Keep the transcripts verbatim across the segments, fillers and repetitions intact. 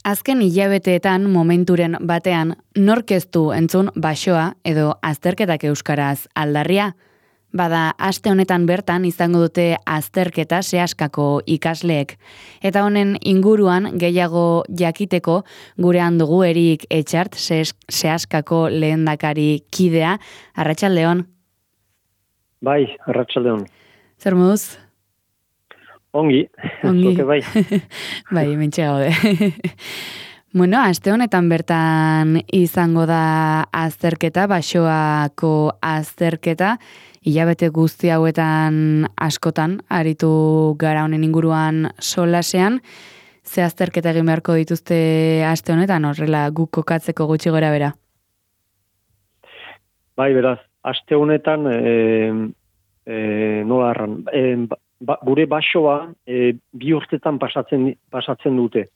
Azken hilabeteetan momenturen batean nork ez du entzun basoa edo azterketak euskaraz aldarria? Bada, aste honetan bertan izango dute azterketa sehaskako ikasleek. Eta honen inguruan gehiago jakiteko gurean dugu Erik Etxart sehaskako lehendakari kidea. Arratsaldeon. Bai, arratsaldeon. Zer moduz? Ongi, Ongi. Zoke bai. Bai, mentxe gaude. Bueno, aste honetan bertan izango da azterketa, basoako azterketa, hilabete guzti hauetan askotan, aritu gara honen inguruan solasean, ze azterketa egin beharko dituzte aste honetan, horrela guk kokatzeko gutxi gora bera? Bai, beraz, aste honetan, e, e, nola arran, e, ba, gure basoa e, bi urtetan pasatzen, pasatzen dute.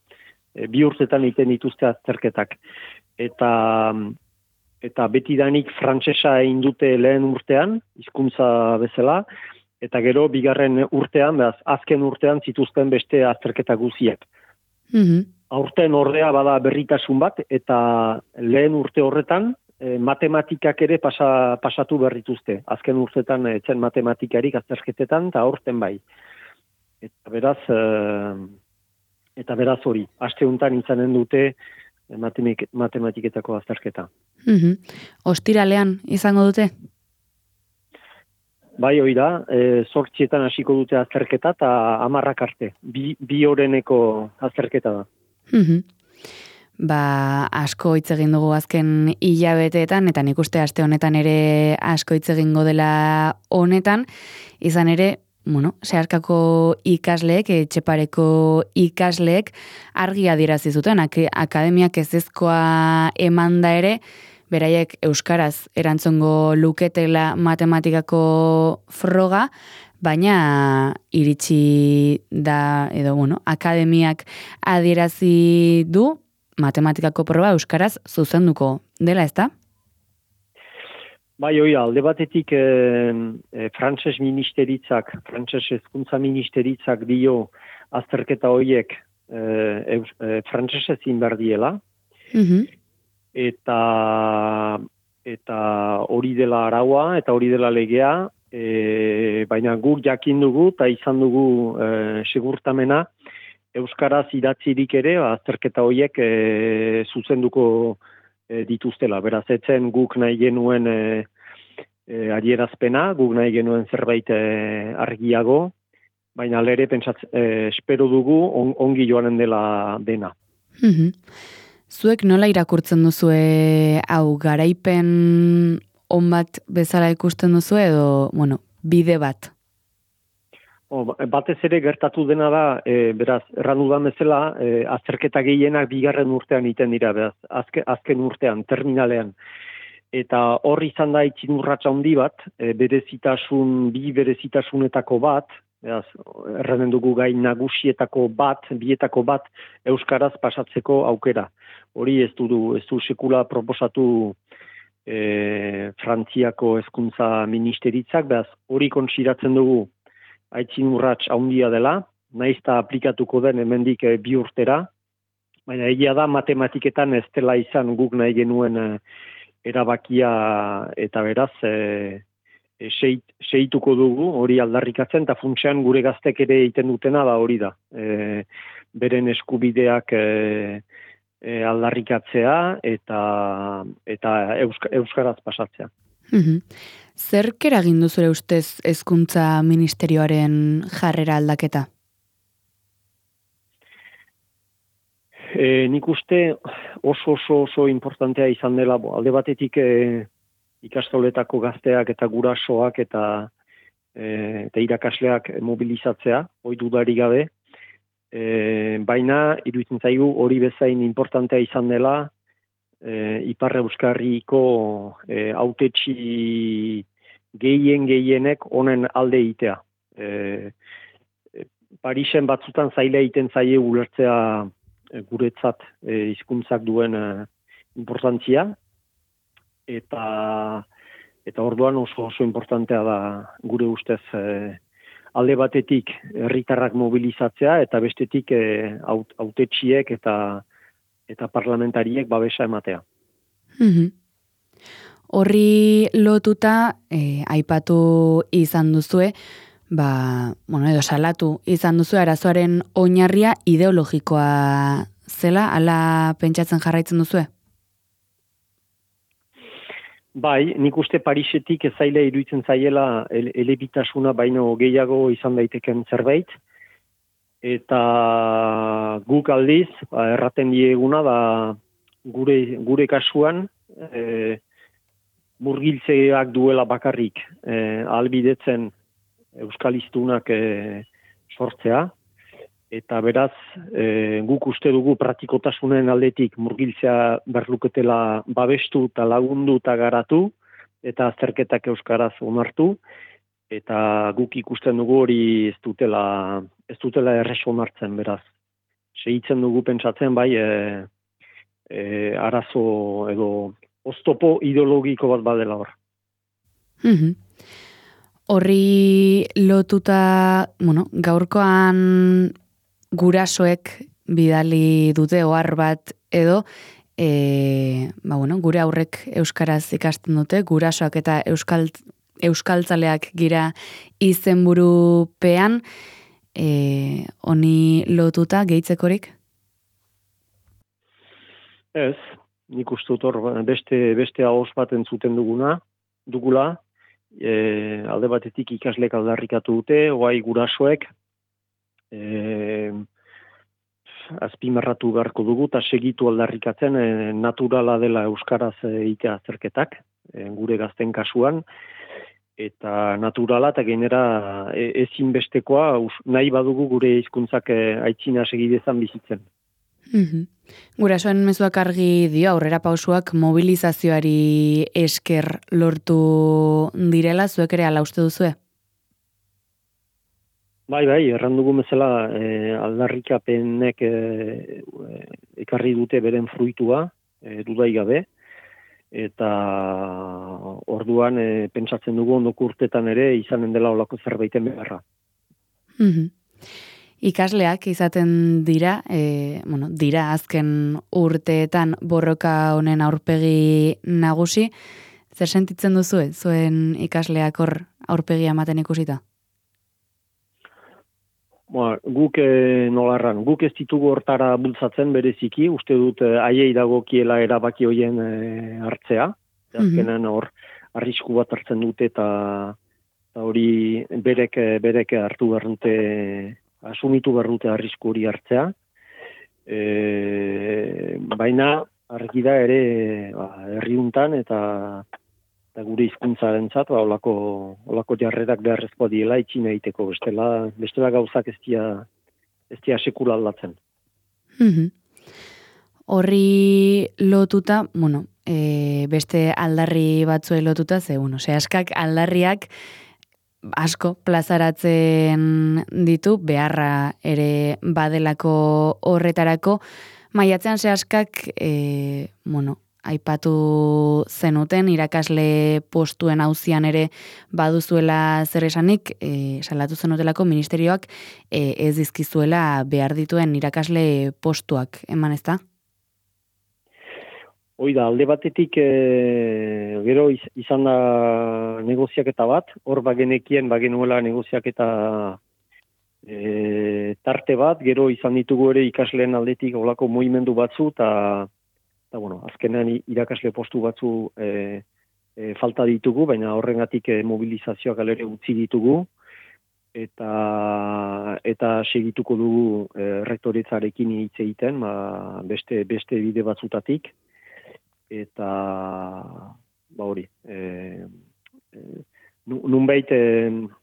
E, bi urtetan egiten dituzte azterketak. Eta, eta betidanik frantsesa egin dute lehen urtean, hizkuntza bezala, eta gero bigarren urtean, beraz, azken urtean zituzten beste azterketa guziak. Mm-hmm. Aurten ordea bada berritasun bat, eta lehen urte horretan, e, matematikak ere pasa, pasatu berrituzte. Azken urtetan etzen matematikarik azterketetan, eta aurten bai. Eta beraz... E, Eta beraz hori, aste honetan izanen dute matematik, matematiketako azterketa. Mm-hmm. Ostiralean izango dute? Bai, hori da, e, zortzietan hasiko dute azterketa eta hamarrak arte. Bi, bi oreneko azterketa da. Mm-hmm. Ba, asko hitz egin dugu azken hilabeteetan, eta nik uste aste honetan ere asko hitz egingo dela honetan, izan ere, bueno, sehaskako ikasleek, Etxepareko ikasleek argi adierazi zuten, akademiak ezezkoa emanda ere, beraiek euskaraz erantzungo luketela matematikako froga, baina iritsi da, edo bueno, akademiak adierazi du matematikako proba euskaraz zuzenduko dela, ezta? Bai, hoi, alde batetik e, e, frantses ministeritzak, frantses hezkuntza ministeritzak dio azterketa horiek e, e, frantsesez egin behar diela. Mm-hmm. Eta eta hori dela araua, eta hori dela legea, e, baina guk jakin dugu, eta izan dugu e, segurtamena, euskaraz idatzirik ere, azterketa horiek e, zuzenduko e, dituztela. Beraz, etzen guk nahi genuen e, e, adierazpena, guk nahi genuen zerbait e, argiago, baina lere pentsatz, e, espero dugu on, ongi joanen dela dena. Mm-hmm. Zuek nola irakurtzen duzue hau garaipen on bat bezala ikusten duzu edo, bueno, bide bat? O, batez ere gertatu dena da, e, beraz, errandudan bezala, e, azterketa gehienak bigarren urtean iten dira, beraz, azke, azken urtean, terminalean. Eta hor izan da itzin urratsa handi bat, e, berezitasun, bi berezitasunetako bat, beraz, erranen dugu gai nagusietako bat, bietako bat, euskaraz pasatzeko aukera. Hori ez du, ez du sekula proposatu e, Frantziako hezkuntza ministeritzak, beraz, hori konsideratzen dugu, aitzin urrats handia dela, naiz eta aplikatuko den hemendik e, bi urtera, baina egia da matematiketan ez dela izan guk nahi genuen e, erabakia eta beraz e, e, seit, seituko dugu hori aldarrikatzen, eta funtsean gure gaztek ere egiten dutena da hori da. E, beren eskubideak e, e, aldarrikatzea eta, eta euska, euskaraz pasatzea. Mm-hmm. Zerk eragin du zure ustez hezkuntza ministerioaren jarrera aldaketa? E, nik uste oso oso oso importantea izan dela, bo, alde batetik e, ikastoletako gazteak eta gurasoak eta, e, eta irakasleak mobilizatzea, hori dudarik gabe, e, baina iruditzen zaigu hori bezain importantea izan dela, E, Ipar Euskarriko e, hautetsi gehien gehienek honen alde itea. E, e, Parisen batzutan zaila egiten zaie ulertzea e, guretzat e, hizkuntzak duen e, importantzia, eta eta orduan oso oso importantea da gure ustez e, alde batetik herritarrak mobilizatzea eta bestetik e, hautetsiek eta eta parlamentariek babesa ematea. Mhm. Horri lotuta, eh, aipatu izan duzue, ba, bueno, edo salatu izan duzue arazoaren oinarria ideologikoa zela, ala pentsatzen jarraitzen duzue? Bai, nik uste Parisetik ez zaila iruditzen zaiela ele, elebitasuna baino gehiago izan daiteken zerbait, eta guk aldiz, ba, erraten dieguna, da gure, gure kasuan, e, murgiltzeak duela bakarrik e, ahalbidetzen euskalistunak e, sortzea, eta beraz e, guk uste dugu praktikotasunen aldetik murgiltzea berluketela babestu eta lagundu eta garatu, eta azterketak euskaraz onartu, eta guk ikusten dugu hori ez dutela, ez dutela errez onartzen, beraz. Segitzen dugu pentsatzen bai e, e, arazo edo oztopo ideologiko bat badela hor. Mhm. Horri lotuta, bueno, gaurkoan gurasoek bidali dute ohar bat edo, e, ba, bueno, gure aurrek euskaraz ikasten dute, gurasoak eta euskal, euskaltzaleak gira izenburupean, e, honi lotuta gehitzekorik? Ez, nik uste dut hor beste, beste ahos bat entzuten duguna, dugula, e, alde batetik ikaslek aldarrikatu dute, oai gurasoek, e, azpimarratu beharko dugu, eta segitu aldarrikatzen e, naturala dela euskaraz egitea azterketak, e, gure gazten kasuan, eta naturala eta gainera e, ezinbestekoa nahi badugu gure hizkuntzak e, aitzina segidezan bizitzen. Mm-hmm. Gurasoen mezuak argi dio aurrera pausuak mobilizazioari esker lortu direla, zuek ere ala uste duzue? Bai, bai, errandugu bezala e, aldarrikapenek e, e, ekarri dute beren fruitua, e, dudai gabe, eta orduan e, pentsatzen dugu ondoko urtetan ere izanen dela olako zerbaiten beharra. Mm-hmm. Ikasleak izaten dira, e, bueno, dira azken urteetan borroka honen aurpegi nagusi, zer sentitzen duzue, zuen ikasleak hor aurpegia ematen ikusita? Ba, guk e, nolarran, guk ez ditugu hortara bultzatzen bereziki, uste dut e, haiei dagokiela erabaki hoien e, hartzea, azkenan hor arrisku bat hartzen dute eta hori berek, berek hartu behar dute, asumitu behar dute arrisku hori hartzea, e, baina argi da ere ba, herriuntan eta, eta gure hizkuntzarentzat ba, olako, olako jarrerak beharrezkoa diela itxina egiteko, bestela, bestela gauzak ez dia, ez dia sekula aldatzen. Mm-hmm. Horri lotuta, bueno, e, beste aldarri batzue lotuta, ze, bueno, ze askak aldarriak asko plazaratzen ditu, beharra ere badelako horretarako, maiatzean sehaskak, e, bueno, aipatu zenuten, irakasle postuen auzian ere baduzuela zer esanik, e, salatu zenutelako ministerioak e, ez dizkizuela behar dituen irakasle postuak, eman ez da? Hoi da, alde batetik e, gero iz, izan da negoziaketa bat, hor bagenekien bagenuela negoziaketa e, tarte bat, gero izan ditugu ere ikasleen aldetik olako mugimendu batzu, eta bueno, azkenean irakasle postu batzu e, e, falta ditugu, baina horrengatik e, mobilizazioak alere utzi ditugu, eta eta segituko dugu e, rektoretzarekin hitz egiten, ba, beste, beste bide batzutatik, eta ba hori e, e, nunbait e,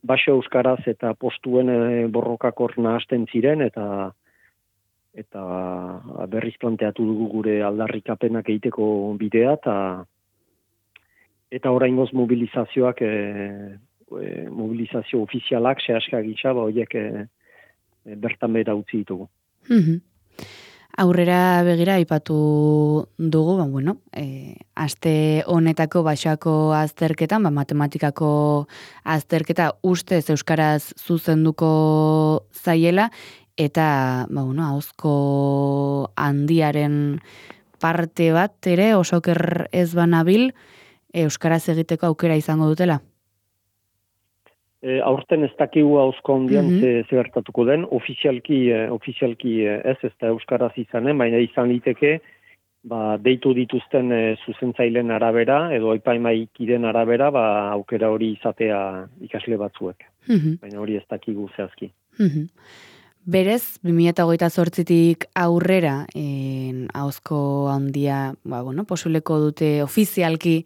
baso euskaraz eta postuen e, borrokak hor nahasten ziren eta eta berriz planteatu dugu gure aldarrikapenak egiteko bidea eta eta oraingoz mobilizazioak e, e, mobilizazio ofizialak sehaska gisa ba horiek e, e, bertan behera utzi ditugu. Mm-hmm. Aurrera begira aipatu dugu, ba, bueno, e, aste honetako basoako azterketan, ba, matematikako azterketa ustez euskaraz zuzenduko zaiela, eta, ba, bueno, ahozko handiaren parte bat ere, osoker ez banabil, euskaraz egiteko aukera izango dutela? E, aurten ez dakigu ahozko handian Mhm. ze, ze gertatuko den, ofizialki, e, ofizialki e, ez, ez da euskaraz izanen, baina izan liteke, ba, deitu dituzten e, zuzentzailen arabera, edo epaimaikiden arabera, ba, aukera hori izatea ikasle batzuek. Mhm. Baina hori ez dakigu zehazki. Mhm. Berez, bi mila hogeita zortzitik aurrera, en, ahozko handia, ba, bueno, posibleko dute ofizialki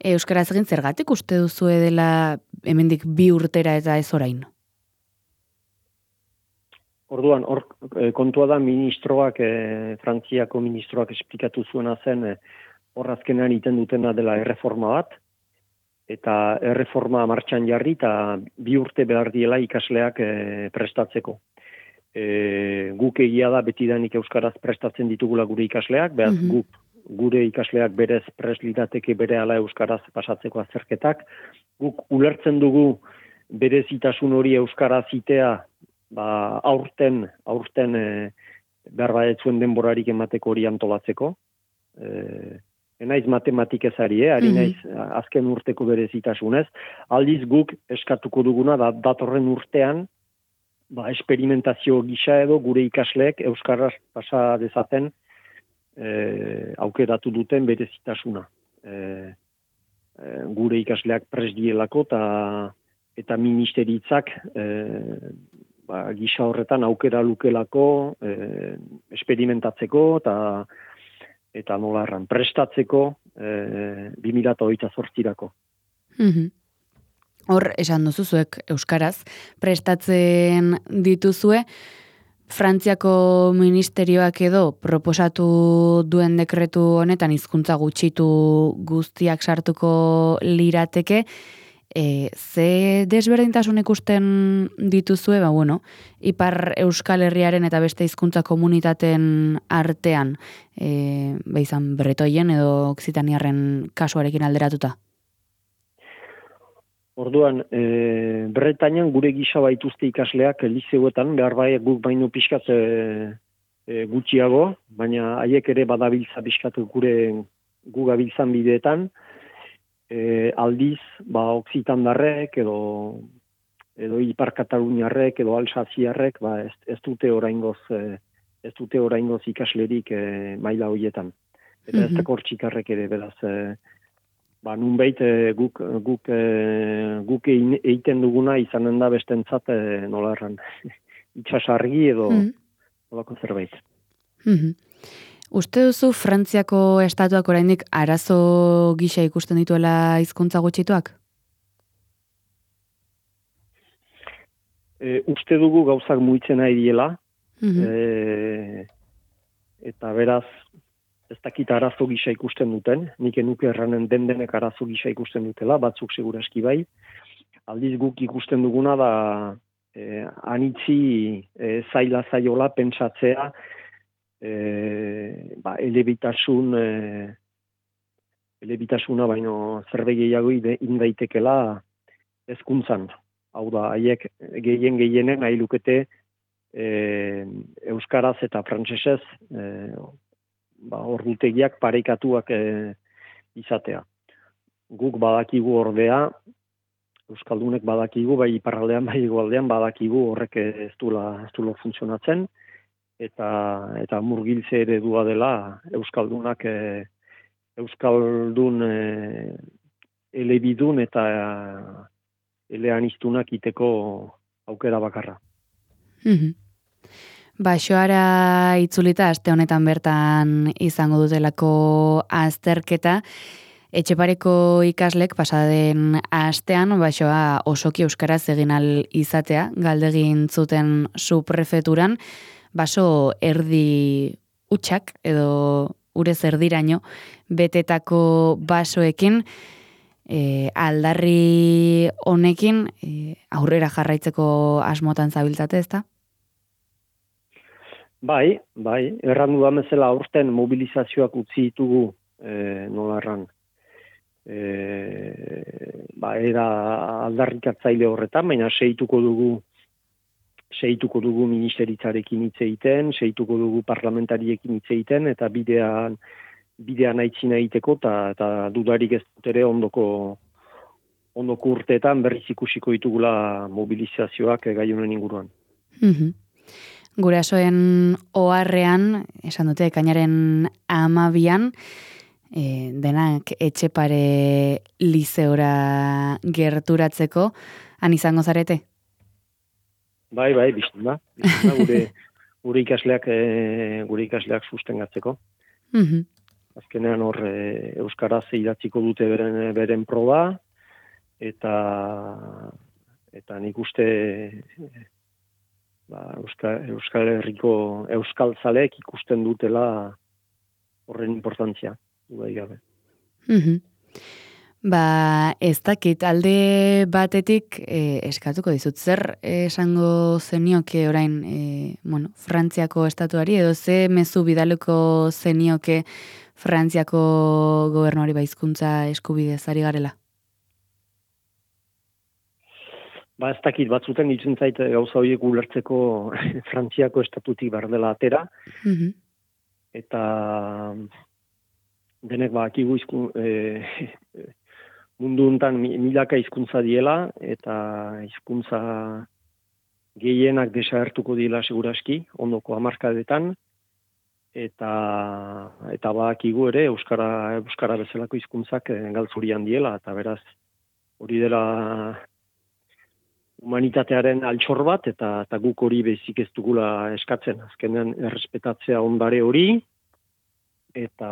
euskaraz egin, zergatik uste duzue dela hemendik bi urtera eta ez orain? Orduan, hor e, kontua da ministroak, e, Frantziako ministroak esplikatu zuena zen, e, hor azkenean iten dutena dela erreforma bat, eta erreforma martxan jarri, eta bi urte behar diela ikasleak e, prestatzeko. E, guk egia da betidanik euskaraz prestatzen ditugula gure ikasleak, behaz Mhm. guk gure ikasleak berez prest lirateke berehala euskaraz pasatzeko azterketak. Guk ulertzen dugu berezitasun hori euskaraz itea, ba, aurten, aurten e, behar badetzuen denborarik emateko hori antolatzeko. E, enaiz matematikazari, eh? Ari Mhm. naiz azken urteko berezitasunez. Aldiz guk eskatuko duguna da datorren urtean, ba, esperimentazio gisa edo gure ikasleek euskaraz pasa dezaten e, aukeratu duten berezitasuna. E, e, gure ikasleak prest dielako ta, eta ministeritzak e, ba, gisa horretan aukera lukelako e, esperimentatzeko eta eta nola erran prestatzeko e, bi mila hogeita zortzirako. Mhm. Hor, esan duzu zuek euskaraz, prestatzen dituzue, Frantziako ministerioak edo proposatu duen dekretu honetan hizkuntza gutxitu guztiak sartuko lirateke, e, ze desberdintasun ikusten dituzue, ba, bueno, Ipar Euskal Herriaren eta beste hizkuntza komunitateen artean, e, ba, izan bretoien edo oksitaniarren kasuarekin alderatuta? Orduan, e, Bretañan gure gisa baituzte ikasleak liceuetan, behar bai guk baino pixkat e, e, gutxiago, baina haiek ere badabiltza pixkat gure gu gabiltzan bideetan, e, aldiz, ba, oksitandarrek edo edo Ipar Kataluniarrek edo Alsaziarrek, ba, ez, ez dute oraingoz e, ez dute oraingoz ikaslerik e, maila hoietan. Eta ez Mhm. dakor txikarrek ere, beraz, e, ba, nunbait e, guk, guk, e, guk ein- egiten duguna izanen da bestentzat e, nola erran, itxasargi edo Mhm. nolako zerbait. Mhm. Uste duzu Frantziako estatuak oraindik arazo gisa ikusten dituela hizkuntza gutxituak? E, uste dugu gauzak muitzen nahi diela, Mhm. e, eta beraz, ez dakit arazo gisa ikusten duten, nik enuke erranen den denek arazo gisa ikusten dutela, batzuk seguraski bai. Aldiz guk ikusten duguna da e, anitzi e, zaila zaiola pentsatzea e, ba, elebitasun e, elebitasuna baino zerbait gehiago ide- indaitekela hezkuntzan. Hau da, haiek gehien gehienen nahi lukete e, euskaraz eta frantsesez e, ba, ordutegiak parekatuak e, izatea. Guk badakigu ordea, euskaldunek badakigu, bai iparraldean, bai hegoaldean badakigu horrek ez duela ez duela funtzionatzen, eta eta murgiltze eredua dela euskaldunak e, euskaldun e, elebidun eta eleaniztunak iteko aukera bakarra. Mhm. Baixoara itzulita aste honetan bertan izango dutelako azterketa, Etxepareko ikaslek pasaden astean baixoa osoki euskaraz egin al izatea, galdegin zuten subprefeturan, baso erdi utxak edo urez erdiraino betetako basoekin, e, aldarri honekin e, aurrera jarraitzeko asmotan zabiltzate, ezta? Bai, bai, erran dudan bezala aurten mobilizazioak utzi ditugu e, nola erran. E, ba, era aldarrikatzaile horretan, baina seituko dugu seituko dugu ministeritzarekin hitz egiten, seituko dugu parlamentariekin hitz egiten, eta bidean, bidean aitzina egiteko, eta, eta dudarik ez dut ere ondoko, ondoko urteetan berriz ikusiko ditugula mobilizazioak gai honen inguruan. Mm-hmm. Gurasoen oharrean, esan dute, ekainaren amabian, e, denak Etxepare lizeora gerturatzeko, han izango zarete? Bai, bai, bizten da. Bizten da gure, gure ikasleak, e, gure ikasleak sustengatzeko. Mm-hmm. Azkenean hor e, euskaraz idatziko dute beren, beren proba, eta, eta nik uste ba, Euskal, Euskal Herriko Euskal Zaleek ikusten dutela horren importantzia. Duda gabe. Mm-hmm. Ba, ez dakit, alde batetik eh, eskatuko dizut, zer esango zenioke orain, eh, bueno, Frantziako estatuari, edo ze mezu bidaluko zenioke Frantziako gobernuari hizkuntza eskubidez ari garela? Ba, ez dakit, batzuten ditzen zait gauza horiek ulertzeko Frantziako estatutik bardela atera, Mm-hmm. eta denek bakigu izkun, e, mundu hontan milaka hizkuntza diela, eta hizkuntza gehienak desagertuko dira seguraski, ondoko hamarkadetan, eta eta bakigu ere euskara euskara bezalako hizkuntzak galtzurian diela, eta beraz hori dela humanitatearen altxor bat, eta, eta guk hori bezik ez dugula eskatzen. Azkenean errespetatzea ondare hori, eta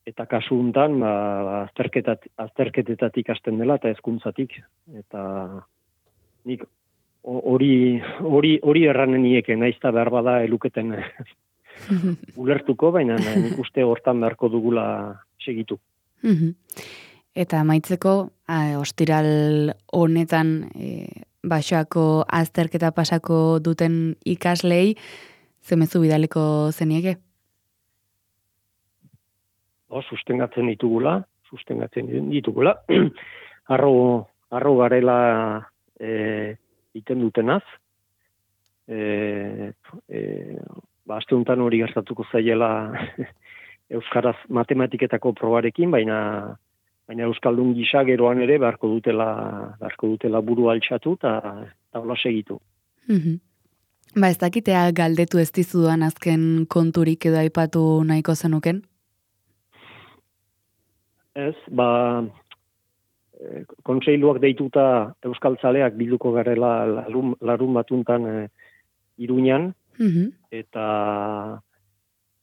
eta kasu hontan ba, azterketat, azterketetatik hasten dela eta hezkuntzatik. Eta nik hori hori hori erranen nieke, naiz eta behar bada eluketen ulertuko, baina nik uste hortan beharko dugula segitu. Mm-hmm. Eta amaitzeko, a, ostiral honetan e, Baxoako azterketa pasako duten ikaslei, zemezu bidaleko zenieke? O, sustengatzen ditugula, sustengatzen ditugula. Arro, arro garela e, iten dutenaz. E, e, ba, aste honetan hori gertatuko zaiela euskaraz matematiketako probarekin, baina baina euskaldun gisa geroan ere beharko dutela beharko dutela buru altxatu eta taula segitu. Mm-hmm. Ba, ez dakitea galdetu ez dizudan azken konturik edo aipatu nahiko zenuken? Ez, ba, e, kontseiluak deituta euskaltzaleak bilduko garela larun, larun batuntan e, Iruñan, Mm-hmm. eta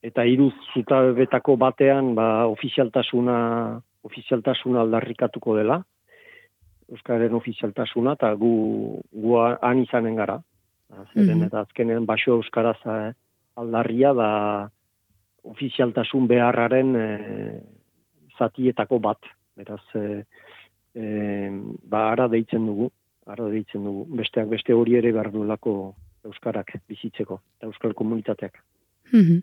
eta hiru zutabetako batean ba, ofizialtasuna ofizialtasuna aldarrikatuko dela, Euskararen ofizialtasuna, eta gu, gu han izanen gara. Zeren, mm-hmm. eta azkenean Baxo Euskaraz aldarria da ofizialtasun beharraren e, zatietako bat. Beraz, e, e, ba, ara deitzen dugu, ara deitzen dugu. Besteak beste hori ere behar duelako Euskarak bizitzeko, eta Euskal komunitateak. Mm-hmm.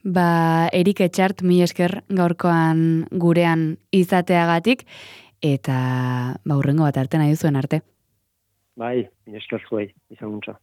Ba, Erik Etxart, mi esker gaurkoan gurean izateagatik, eta ba, hurrengo bat arte nahi duzuen arte. Bai, mi esker zuei, izan guntza.